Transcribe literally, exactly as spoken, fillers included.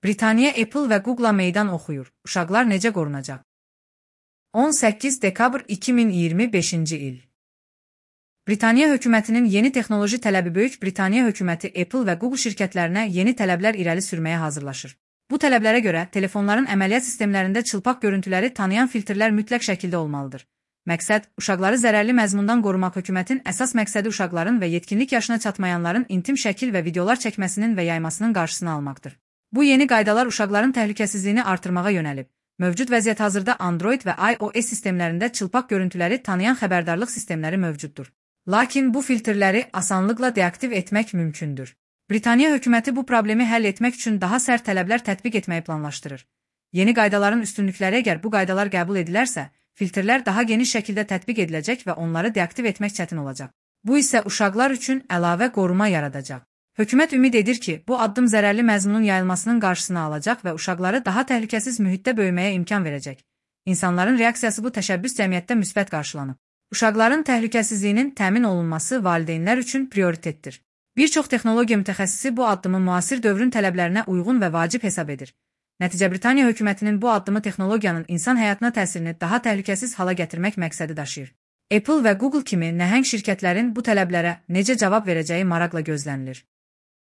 Britaniya Apple və Google-a meydan oxuyur. Uşaqlar necə qorunacaq? on səkkiz dekabr iki min iyirmi beşinci il. Britaniya hökumətinin yeni texnoloji tələbi Böyük Britaniya hökuməti Apple və Google şirkətlərinə yeni tələblər irəli sürməyə hazırlaşır. Bu tələblərə görə telefonların əməliyyat sistemlərində çılpaq görüntüləri tanıyan filtrlər mütləq şəkildə olmalıdır. Məqsəd, uşaqları zərərli məzmundan qorumaq. Hökumətin əsas məqsədi uşaqların və yetkinlik yaşına çatmayanların intim şəkil və videolar çəkməsinin və yaymasının qarşısını almaqdır. Bu yeni qaydalar uşaqların təhlükəsizliyini artırmağa yönəlib. Mövcud vəziyyət hazırda Android və iOS sistemlərində çılpaq görüntüləri tanıyan xəbərdarlıq sistemləri mövcuddur. Lakin bu filtrləri asanlıqla deaktiv etmək mümkündür. Britaniya hökuməti bu problemi həll etmək üçün daha sərt tələblər tətbiq etməyi planlaşdırır. Yeni qaydaların üstünlükləri əgər bu qaydalar qəbul edilərsə, filtrlər daha geniş şəkildə tətbiq ediləcək və onları deaktiv etmək çətin olacaq. Bu isə uşaqlar üçün əlavə qoruma yaradacaq. Hökumət ümid edir ki, bu addım zərərli məzmunun yayılmasının qarşısını alacaq və uşaqları daha təhlükəsiz mühitdə böyüməyə imkan verəcək. İnsanların reaksiyası bu təşəbbüs cəmiyyətdə müsbət qarşılanıb. Uşaqların təhlükəsizliyinin təmin olunması valideynlər üçün prioritetdir. Bir çox texnologiya mütəxəssisi bu addımı müasir dövrün tələblərinə uyğun və vacib hesab edir. Nəticə Britaniya hökumətinin bu addımı texnologiyanın insan həyatına təsirini daha təhlükəsiz hala gətirmək məqsədi daşıyır. Apple və Google kimi nəhəng şirkətlərin bu tələblərə necə cavab verəcəyi maraqla gözlənilir.